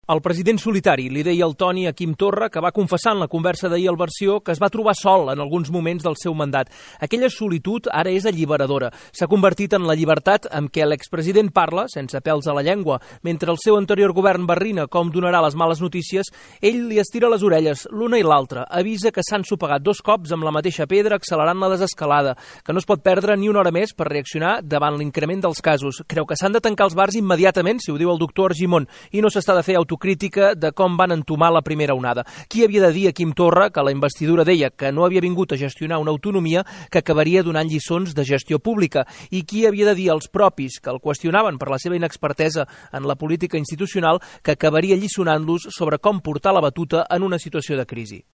El president solitari li deia al Toni a Quim Torra, que va confessar en la conversa d'ahir al Versió que es va trobar sol en alguns moments del seu mandat. Aquella solitud ara és alliberadora. S'ha convertit en la llibertat amb què l'expresident parla, sense pèls a la llengua. Mentre el seu anterior govern barrina com donarà les males notícies, ell li estira les orelles, l'una i l'altra. Avisa que s'han sopegat 2 cops amb la mateixa pedra, accelerant la desescalada, que no es pot perdre ni una hora més per reaccionar davant l'increment dels casos. Creu que s'han de tancar els bars immediatament, si ho diu el doctor Argimon, i no s'està de fer autocrítica de com van entomar la primera onada. Qui havia de dir a Quim Torra que la investidura deia que no havia vingut a gestionar una autonomia que acabaria donant lliçons de gestió pública? I qui havia de dir als propis que el qüestionaven per la seva inexpertesa en la política institucional que acabaria lliçonant-los sobre com portar la batuta en una situació de crisi?